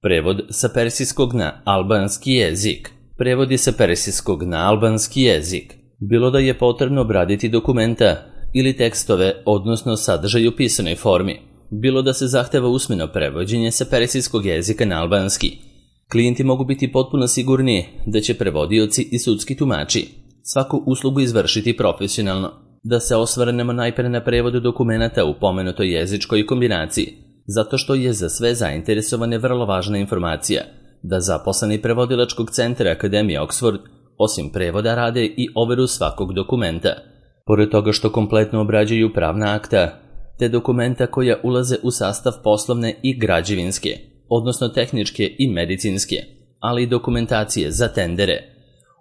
Prevod sa persijskog na albanski jezik. Prevodi sa persijskog na albanski jezik. Bilo da je potrebno obraditi dokumenta ili tekstove, odnosno sadržaj u pisanoj formi, bilo da se zahteva usmeno prevođenje sa persijskog jezika na albanski. Klijenti mogu biti potpuno sigurni da će prevodioci i sudski tumači svaku uslugu izvršiti profesionalno. Da se osvrnemo najpre na prevod dokumenta u pomenutoj jezičkoj kombinaciji, zato što je za sve zainteresovane vrlo važna informacija da zaposleni prevodilačkog centra Akademije Oxford osim prevoda rade i overu svakog dokumenta. Pored toga što kompletno obrađuju pravna akta, te dokumenta koja ulaze u sastav poslovne i građevinske, odnosno tehničke i medicinske, ali i dokumentacije za tendere.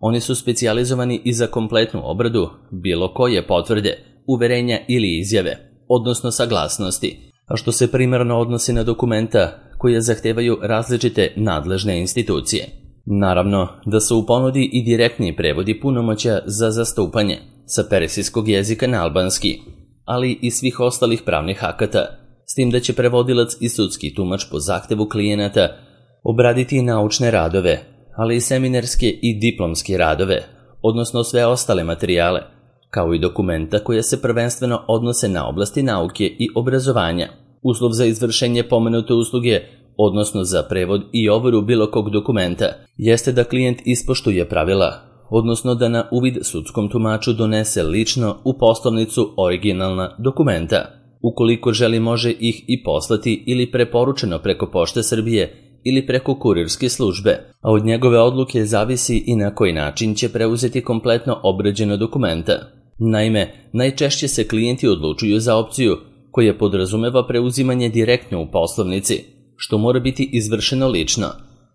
Oni su specijalizovani i za kompletnu obradu bilo koje potvrde, uverenja ili izjave, odnosno saglasnosti, a što se primarno odnosi na dokumenta koje zahtevaju različite nadležne institucije. Naravno da su u ponudi i direktni prevodi punomoćja za zastupanje sa persijskog jezika na albanski, ali i svih ostalih pravnih akata, s tim da će prevodilac i sudski tumač po zahtevu klijenata obraditi i naučne radove, ali i seminarske i diplomske radove, odnosno sve ostale materijale, kao i dokumenta koja se prvenstveno odnose na oblasti nauke i obrazovanja. Uslov za izvršenje pomenute usluge, odnosno za prevod i overu bilo kog dokumenta, jeste da klijent ispoštuje pravila, odnosno da na uvid sudskom tumaču donese lično u poslovnicu originalna dokumenta. Ukoliko želi, može ih i poslati ili preporučeno preko Pošte Srbije ili preko kurirske službe, a od njegove odluke zavisi i na koji način će preuzeti kompletno obrađeno dokumenta. Naime, najčešće se klijenti odlučuju za opciju koja podrazumeva preuzimanje direktno u poslovnici, što mora biti izvršeno lično,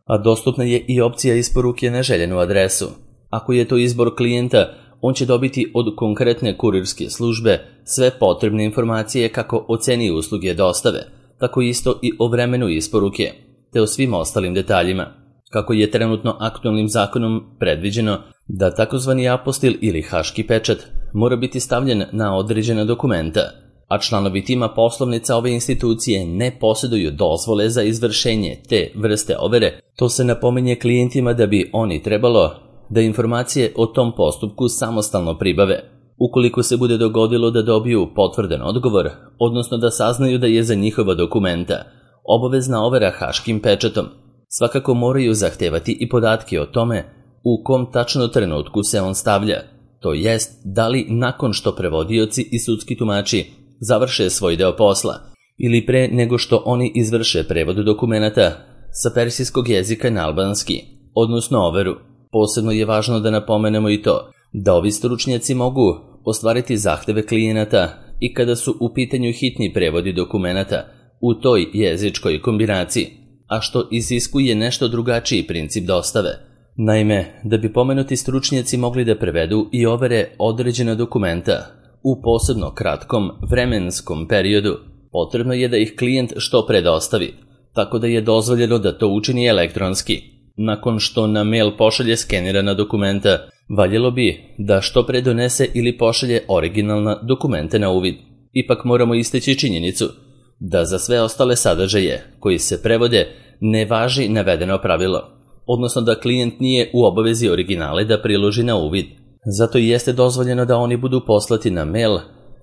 a dostupna je i opcija isporuke na željenu adresu. Ako je to izbor klijenta, on će dobiti od konkretne kurirske službe sve potrebne informacije kako o ceni usluge dostave, tako isto i o vremenu isporuke, te o svim ostalim detaljima. Kako je trenutno aktualnim zakonom predviđeno da takozvani apostil ili haški pečat mora biti stavljen na određena dokumenta, a članovi tima poslovnica ove institucije ne posjeduju dozvole za izvršenje te vrste overe, to se napominje klijentima da bi oni trebalo da informacije o tom postupku samostalno pribave. Ukoliko se bude dogodilo da dobiju potvrdan odgovor, odnosno da saznaju da je za njihova dokumenta obavezna overa haškim pečatom, svakako moraju zahtevati i podatke o tome u kom tačno trenutku se on stavlja, to jest da li nakon što prevodioci i sudski tumači završe svoj deo posla ili pre nego što oni izvrše prevod dokumenata sa persijskog jezika na albanski, odnosno overu. Posebno je važno da napomenemo i to da ovi stručnjaci mogu ostvariti zahteve klijenata i kada su u pitanju hitni prevodi dokumenata u toj jezičkoj kombinaciji, a što iziskuje nešto drugačiji princip dostave. Naime, da bi pomenuti stručnjaci mogli da prevedu i overe određena dokumenta u posebno kratkom vremenskom periodu, potrebno je da ih klijent što pre dostavi, tako da je dozvoljeno da to učini elektronski. Nakon što na mail pošalje skenirana dokumenta, valjelo bi da što pre donese ili pošalje originalna dokumenta na uvid. Ipak moramo istaći činjenicu da za sve ostale sadržaje koji se prevode ne važi navedeno pravilo, odnosno da klijent nije u obavezi originale da priloži na uvid. Zato i jeste dozvoljeno da oni budu poslati na mail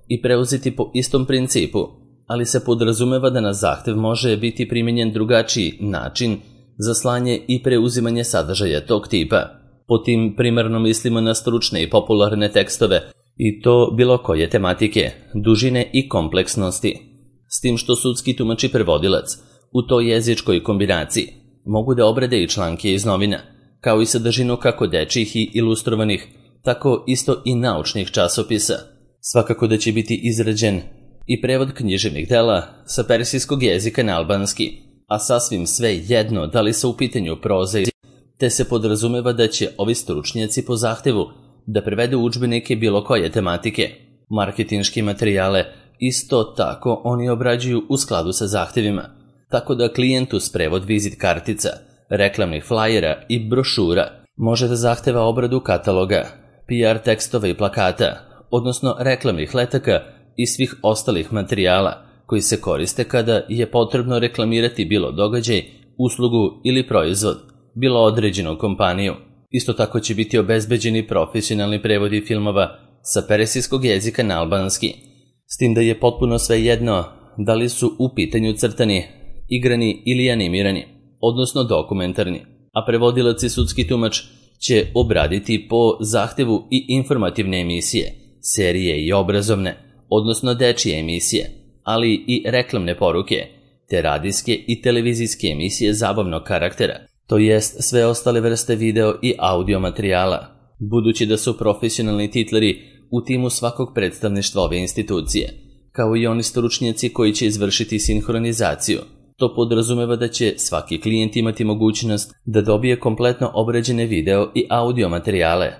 i preuzeti po istom principu, ali se podrazumeva da na zahtev može biti primenjen drugačiji način za slanje i preuzimanje sadržaja tog tipa. Po tim primarno mislimo na stručne i popularne tekstove, i to bilo koje tematike, dužine i kompleksnosti. S tim što sudski tumač i prevodilac u toj jezičkoj kombinaciji mogu da obrade i članke iz novina, kao i sadržinu kako dečjih i ilustrovanih, tako isto i naučnih časopisa. Svakako da će biti izrađen i prevod književnih dela sa persijskog jezika na albanski, a sasvim sve jedno da li se u pitanju proza, te se podrazumeva da će ovi stručnjaci po zahtevu da prevedu udžbenike bilo koje tematike. Marketinške materijale isto tako oni obrađuju u skladu sa zahtevima, tako da klijent uz prevod vizit kartica, reklamnih flajera i brošura može da zahteva obradu kataloga, PR tekstova i plakata, odnosno reklamnih letaka i svih ostalih materijala koji se koriste kada je potrebno reklamirati bilo događaj uslugu ili proizvod, bilo određenu kompaniju. Isto tako će biti obezbeđeni profesionalni prevodi filmova sa persijskog jezika na albanski, s tim da je potpuno svejedno da li su u pitanju crtani, igrani ili animirani, odnosno dokumentarni, a prevodilac i sudski tumač će obraditi po zahtevu i informativne emisije, serije i obrazovne, odnosno dečije emisije, ali i reklamne poruke, te radijske i televizijske emisije zabavnog karaktera, to jest sve ostale vrste video i audio materijala, budući da su profesionalni titleri u timu svakog predstavništva ove institucije, kao i oni stručnjaci koji će izvršiti sinhronizaciju. To podrazumeva da će svaki klijent imati mogućnost da dobije kompletno obrađene video i audio materijale,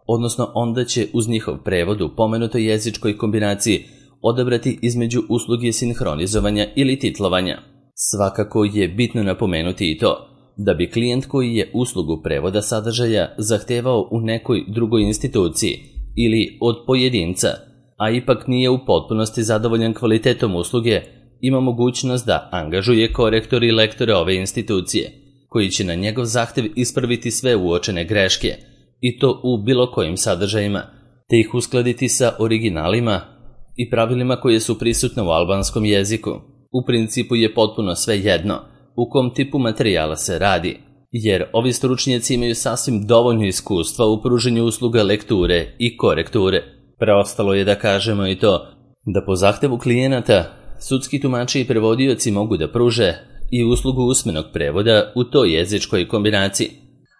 odnosno onda će uz njihov prevod u pomenutoj jezičkoj kombinaciji odabrati između usluge sinhronizovanja ili titlovanja. Svakako je bitno napomenuti i to da bi klijent koji je uslugu prevoda sadržaja zahtevao u nekoj drugoj instituciji ili od pojedinca, a ipak nije u potpunosti zadovoljan kvalitetom usluge, ima mogućnost da angažuje korektore i lektore ove institucije, koji će na njegov zahtev ispraviti sve uočene greške, i to u bilo kojim sadržajima, te ih uskladiti sa originalima i pravilima koje su prisutne u albanskom jeziku. U principu je potpuno sve jedno u kom tipu materijala se radi, jer ovi stručnjaci imaju sasvim dovoljno iskustva u pruženju usluga lekture i korekture. Preostalo je da kažemo i to da po zahtevu klijenata sudski tumači i prevodioci mogu da pruže i uslugu usmenog prevoda u toj jezičkoj kombinaciji,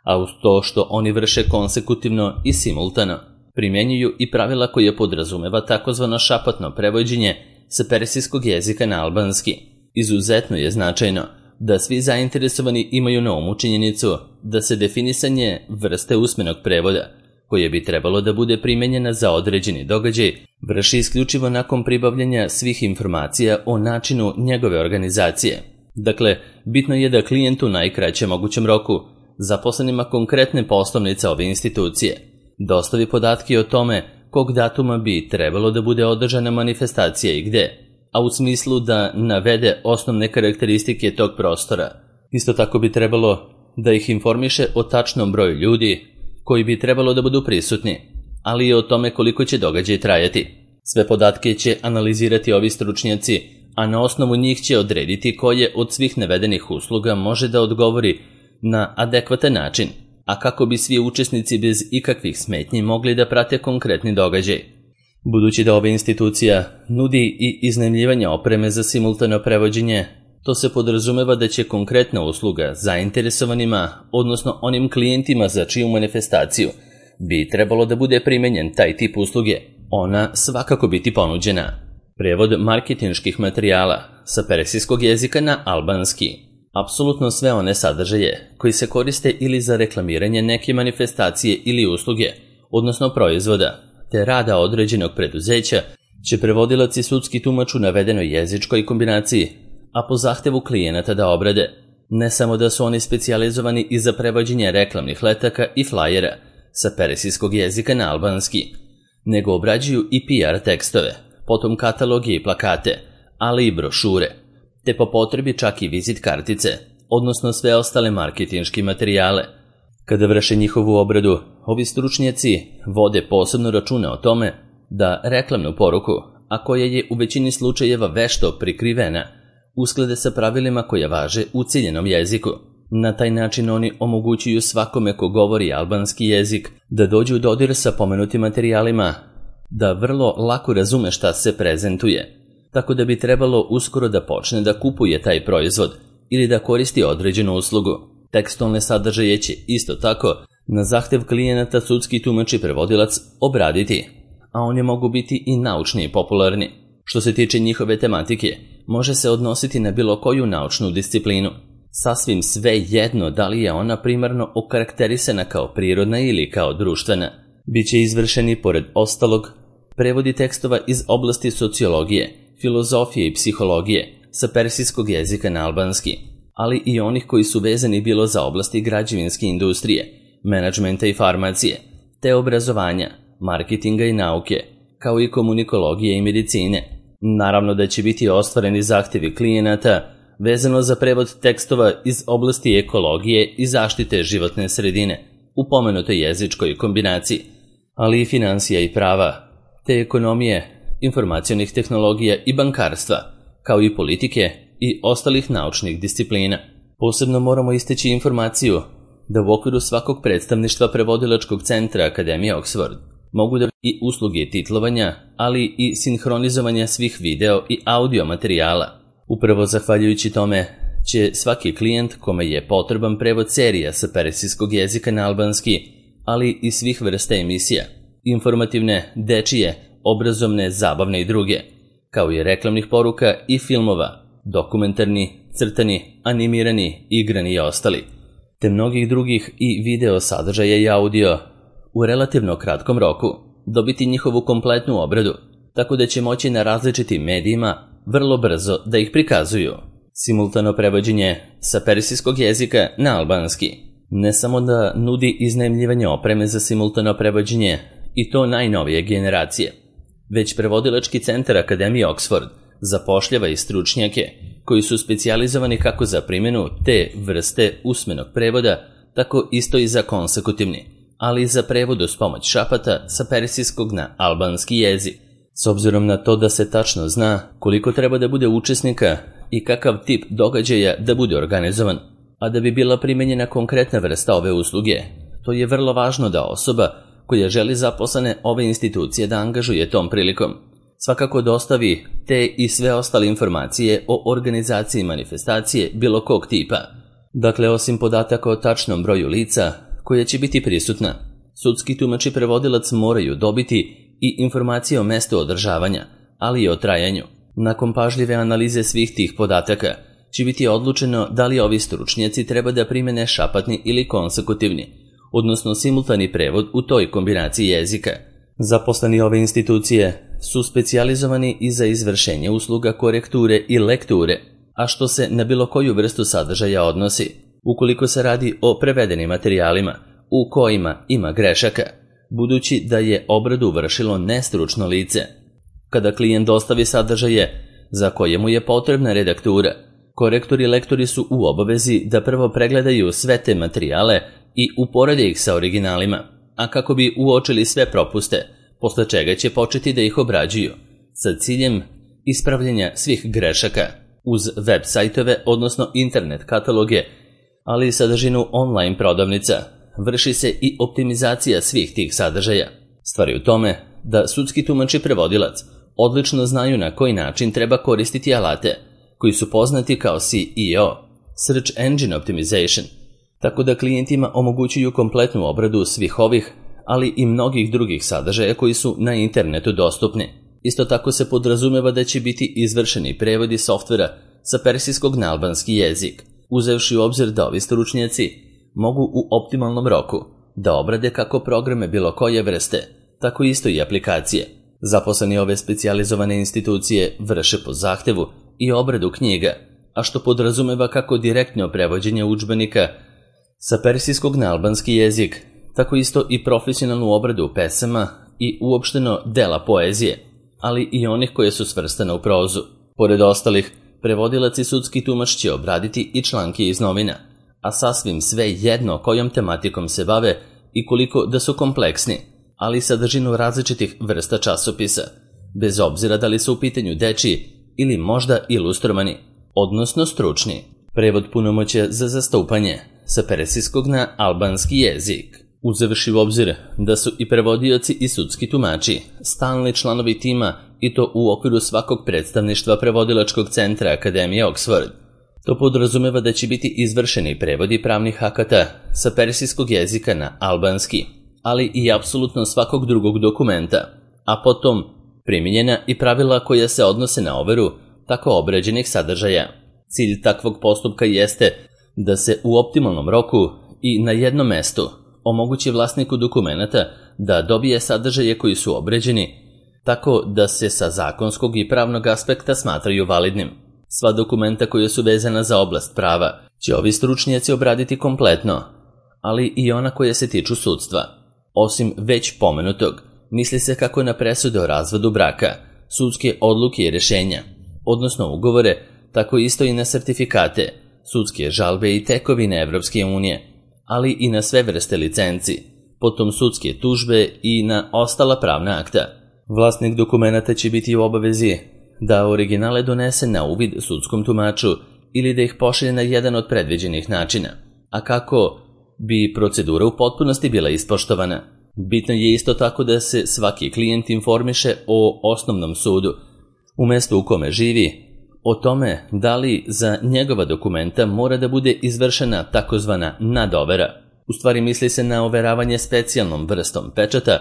a uz to što oni vrše konsekutivno i simultano, primjenjuju i pravila koje podrazumeva takozvano šapatno prevođenje sa persijskog jezika na albanski. Izuzetno je značajno da svi zainteresovani imaju na umu činjenicu da se definisanje vrste usmenog prevoda, koje bi trebalo da bude primenjena za određeni događaj, vrši isključivo nakon pribavljanja svih informacija o načinu njegove organizacije. Dakle, bitno je da klijent u najkraćem mogućem roku zaposlenima konkretne poslovnice ove institucije dostavi podatke o tome kog datuma bi trebalo da bude održana manifestacija i gde, a u smislu da navede osnovne karakteristike tog prostora. Isto tako bi trebalo da ih informiše o tačnom broju ljudi koji bi trebalo da budu prisutni, ali i o tome koliko će događaj trajati. Sve podatke će analizirati ovi stručnjaci, a na osnovu njih će odrediti koje od svih navedenih usluga može da odgovori na adekvatan način, a kako bi svi učesnici bez ikakvih smetnji mogli da prate konkretni događaj. Budući da ova institucija nudi i iznajmljivanje opreme za simultano prevođenje, to se podrazumeva da će konkretna usluga zainteresovanima, odnosno onim klijentima za čiju manifestaciju bi trebalo da bude primenjen taj tip usluge, ona svakako biti ponuđena. Prevod marketinških materijala sa persijskog jezika na albanski. Apsolutno sve one sadržaje koji se koriste ili za reklamiranje neke manifestacije ili usluge, odnosno proizvoda, te rada određenog preduzeća, će prevodilac i sudski tumač u navedenoj jezičkoj kombinaciji, a po zahtevu klijenata da obrade. Ne samo da su oni specijalizovani i za prevođenje reklamnih letaka i flajera sa persijskog jezika na albanski, nego obrađuju i PR tekstove, potom kataloge i plakate, ali i brošure, te po potrebi čak i vizit kartice, odnosno sve ostale marketinške materijale. Kada vrše njihovu obradu, ovi stručnjaci vode posebno računa o tome da reklamnu poruku, a koja je u većini slučajeva vešto prikrivena, usklade sa pravilima koja važe u ciljenom jeziku. Na taj način oni omogućuju svakome ko govori albanski jezik da dođe u dodir sa pomenutim materijalima, da vrlo lako razume šta se prezentuje, tako da bi trebalo uskoro da počne da kupuje taj proizvod ili da koristi određenu uslugu. Tekstualne sadržaje će isto tako na zahtev klijenata sudski tumač i prevodilac obraditi, a oni mogu biti i naučni i popularni. Što se tiče njihove tematike, može se odnositi na bilo koju naučnu disciplinu. Sasvim sve jedno da li je ona primarno okarakterisana kao prirodna ili kao društvena. Biće izvršeni, pored ostalog, prevodi tekstova iz oblasti sociologije, filozofije i psihologije sa persijskog jezika na albanski, ali i onih koji su vezani bilo za oblasti građevinske industrije, menadžmenta i farmacije, te obrazovanja, marketinga i nauke, kao i komunikologije i medicine. Naravno da će biti ostvareni zahtevi klijenata vezano za prevod tekstova iz oblasti ekologije i zaštite životne sredine u pomenutoj jezičkoj kombinaciji, ali i finansija i prava, te ekonomije, informacionih tehnologija i bankarstva, kao i politike i ostalih naučnih disciplina. Posebno moramo istaći informaciju da u okviru svakog predstavništva prevodilačkog centra Akademije Oxford mogu da i usluge titlovanja, ali i sinhronizovanja svih video i audio materijala. Upravo zahvaljujući tome će svaki klijent kome je potreban prevod serija sa persijskog jezika na albanski, ali i svih vrsta emisija, informativne, dečije, obrazovne, zabavne i druge, kao i reklamnih poruka i filmova, dokumentarni, crtani, animirani, igrani i ostali, te mnogih drugih i video sadržaja i audio, u relativno kratkom roku dobiti njihovu kompletnu obradu, tako da će moći na različitim medijima vrlo brzo da ih prikazuju. Simultano prevođenje sa persijskog jezika na albanski ne samo da nudi iznajmljivanje opreme za simultano prevođenje i to najnovije generacije, već prevodilački centar Akademije Oxford zapošljava i stručnjake koji su specijalizovani kako za primjenu te vrste usmenog prevoda, tako isto i za konsekutivni, ali i za prevod uz pomoć šapata sa persijskog na albanski jezik. S obzirom na to da se tačno zna koliko treba da bude učesnika i kakav tip događaja da bude organizovan, a da bi bila primenjena konkretna vrsta ove usluge, to je vrlo važno da osoba koja želi zaposlene ove institucije da angažuje tom prilikom svakako dostavi te i sve ostale informacije o organizaciji manifestacije bilo kog tipa. Dakle, osim podataka o tačnom broju lica koja će biti prisutna, sudski tumač i prevodilac moraju dobiti i informacije o mestu održavanja, ali i o trajanju. Nakon pažljive analize svih tih podataka će biti odlučeno da li ovi stručnjaci treba da primene šapatni ili konsekutivni, odnosno simultani prevod u toj kombinaciji jezika. Zaposleni ove institucije su specijalizovani i za izvršenje usluga korekture i lekture, a što se na bilo koju vrstu sadržaja odnosi, ukoliko se radi o prevedenim materijalima u kojima ima grešaka, budući da je obradu vršilo nestručno lice. Kada klijent dostavi sadržaje za koje mu je potrebna redaktura, korektori i lektori su u obavezi da prvo pregledaju sve te materijale i uporede ih sa originalima, a kako bi uočili sve propuste, posle čega će početi da ih obrađuju, sa ciljem ispravljanja svih grešaka uz web sajtove, odnosno internet kataloge, ali i sadržinu online prodavnica. Vrši se i optimizacija svih tih sadržaja. Stvar je u tome da sudski tumač i prevodilac odlično znaju na koji način treba koristiti alate, koji su poznati kao SEO, Search Engine Optimization, tako da klijentima omogućuju kompletnu obradu svih ovih, ali i mnogih drugih sadržaja koji su na internetu dostupni. Isto tako se podrazumeva da će biti izvršeni prevodi softvera sa persijskog na albanski jezik, uzevši u obzir da ovi stručnjaci mogu u optimalnom roku da obrade kako programe bilo koje vrste, tako isto i aplikacije. Zaposleni ove specijalizovane institucije vrše po zahtevu i obradu knjiga, a što podrazumeva kako direktno prevođenje udžbenika sa persijskog na albanski jezik, tako isto i profesionalnu obradu pesama i uopšteno dela poezije, ali i onih koje su svrstane u prozu. Pored ostalih, prevodilac i sudski tumač će obraditi i članke iz novina, a sasvim sve jedno kojom tematikom se bave i koliko da su kompleksni, ali sadržinu različitih vrsta časopisa, bez obzira da li su u pitanju dečiji ili možda ilustrovani, odnosno stručni. Prevod punomoćja za zastupanje sa persijskog na albanski jezik. Uzevši u obzir da su i prevodioci i sudski tumači stalni članovi tima i to u okviru svakog predstavništva prevodilačkog centra Akademije Oxford. To podrazumeva da će biti izvršeni prevodi pravnih akata sa persijskog jezika na albanski, ali i apsolutno svakog drugog dokumenta, a potom primijenjena i pravila koja se odnose na overu tako obrađenih sadržaja. Cilj takvog postupka jeste da se u optimalnom roku i na jednom mestu omogući vlasniku dokumenata da dobije sadržaje koji su obrađeni, tako da se sa zakonskog i pravnog aspekta smatraju validnim. Sva dokumenta koja su vezana za oblast prava će ovi stručnjaci obraditi kompletno, ali i ona koja se tiču sudstva. Osim već pomenutog, misli se kako na presude o razvodu braka, sudske odluke i rješenja, odnosno ugovore, tako isto i na sertifikate, sudske žalbe i tekovine Evropske unije, ali i na sve vrste licenci, potom sudske tužbe i na ostala pravna akta. Vlasnik dokumenata će biti u obavezi da originale donese na uvid sudskom tumaču ili da ih pošalje na jedan od predviđenih načina. A kako bi procedura u potpunosti bila ispoštovana? Bitno je isto tako da se svaki klijent informiše o osnovnom sudu, u mestu u kome živi, o tome da li za njegova dokumenta mora da bude izvršena takozvana nadovera. U stvari misli se na overavanje specijalnom vrstom pečata,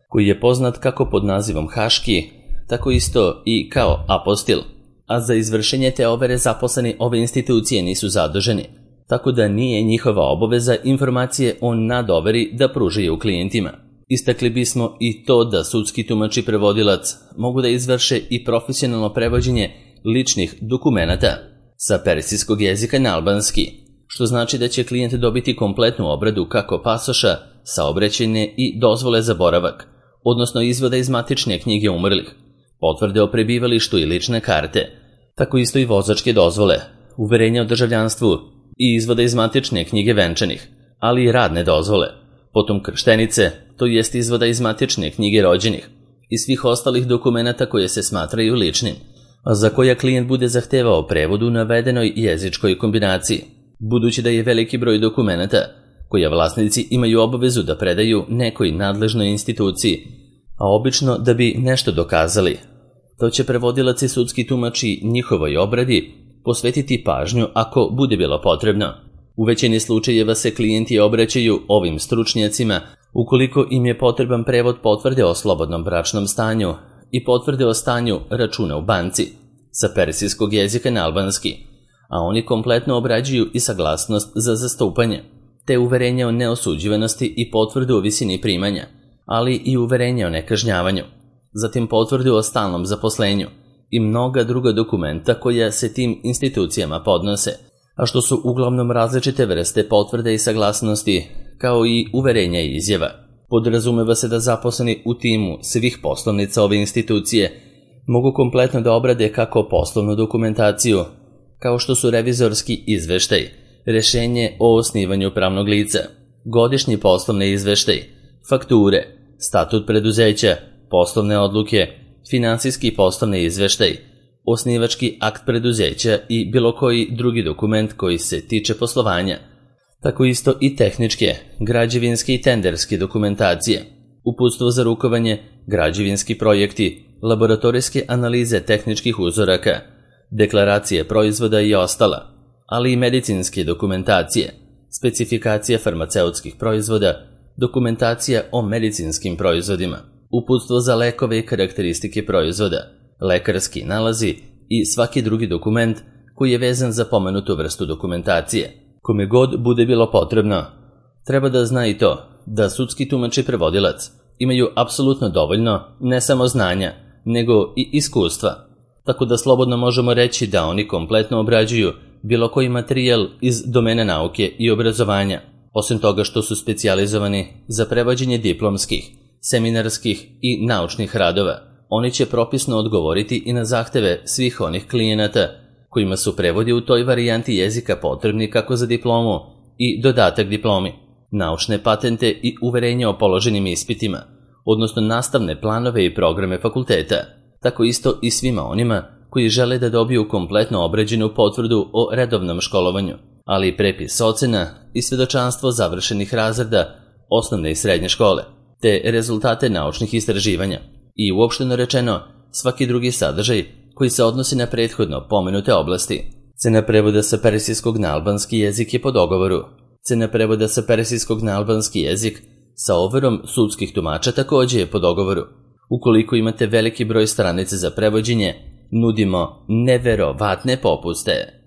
koji je poznat kako pod nazivom haški, tako isto i kao apostil, a za izvršenje te overe zaposleni ove institucije nisu zaduženi, tako da nije njihova obaveza informacije o nadoveri da pružaju klijentima. Istakli bismo i to da sudski tumač i prevodilac mogu da izvrše i profesionalno prevođenje ličnih dokumenata sa persijskog jezika na albanski, što znači da će klijent dobiti kompletnu obradu kako pasoša, saobraćajne i dozvole za boravak, odnosno izvoda iz matične knjige umrlih, potvrde o prebivalištu i lične karte, tako isto i vozačke dozvole, uverenja o državljanstvu i izvoda iz matične knjige venčanih, ali i radne dozvole, potom krštenice, to jest izvoda iz matične knjige rođenih i svih ostalih dokumenata koje se smatraju ličnim, a za koja klijent bude zahtevao prevod u navedenoj jezičkoj kombinaciji, budući da je veliki broj dokumenata koja vlasnici imaju obavezu da predaju nekoj nadležnoj instituciji, a obično da bi nešto dokazali. To će prevodilac i sudski tumači njihovoj obradi posvetiti pažnju ako bude bilo potrebno. U većini slučajeva se klijenti obraćaju ovim stručnjacima ukoliko im je potreban prevod potvrde o slobodnom bračnom stanju i potvrde o stanju računa u banci sa persijskog jezika na albanski, a oni kompletno obrađuju i saglasnost za zastupanje, te uverenje o neosuđivanosti i potvrdu o visini primanja, ali i uverenje o nekažnjavanju, zatim potvrdu o stalnom zaposlenju i mnoga druga dokumenta koja se tim institucijama podnose, a što su uglavnom različite vrste potvrde i saglasnosti, kao i uverenja i izjava. Podrazumeva se da zaposleni u timu svih poslovnica ove institucije mogu kompletno da obrade kako poslovnu dokumentaciju, kao što su revizorski izveštaj, rešenje o osnivanju pravnog lica, godišnji poslovni izveštaj, fakture, statut preduzeća, poslovne odluke, finansijski poslovni izveštaj, osnivački akt preduzeća i bilo koji drugi dokument koji se tiče poslovanja, tako isto i tehničke, građevinske i tenderske dokumentacije, uputstvo za rukovanje, građevinski projekti, laboratorijske analize tehničkih uzoraka, deklaracije proizvoda i ostala, ali i medicinske dokumentacije, specifikacija farmaceutskih proizvoda, dokumentacija o medicinskim proizvodima, uputstvo za lekove i karakteristike proizvoda, lekarski nalazi i svaki drugi dokument koji je vezan za pomenutu vrstu dokumentacije. Kome god bude bilo potrebno, treba da zna i to da sudski tumač i prevodilac imaju apsolutno dovoljno ne samo znanja, nego i iskustva, tako da slobodno možemo reći da oni kompletno obrađuju bilo koji materijal iz domena nauke i obrazovanja, osim toga što su specijalizovani za prevođenje diplomskih, seminarskih i naučnih radova. Oni će propisno odgovoriti i na zahteve svih onih klijenata kojima su prevodi u toj varijanti jezika potrebni kako za diplomu i dodatak diplomi, naučne patente i uverenja o položenim ispitima, odnosno nastavne planove i programe fakulteta, tako isto i svima onima koji žele da dobiju kompletno obrađenu potvrdu o redovnom školovanju, ali i prepis ocena i svedočanstvo završenih razreda osnovne i srednje škole, te rezultate naučnih istraživanja i uopšteno rečeno svaki drugi sadržaj koji se odnosi na prethodno pomenute oblasti. Cena prevoda sa persijskog na albanski jezik je po dogovoru. Cena prevoda sa persijskog na albanski jezik sa overom sudskih tumača takođe je po dogovoru. Ukoliko imate veliki broj stranica za prevođenje, nudimo neverovatne popuste.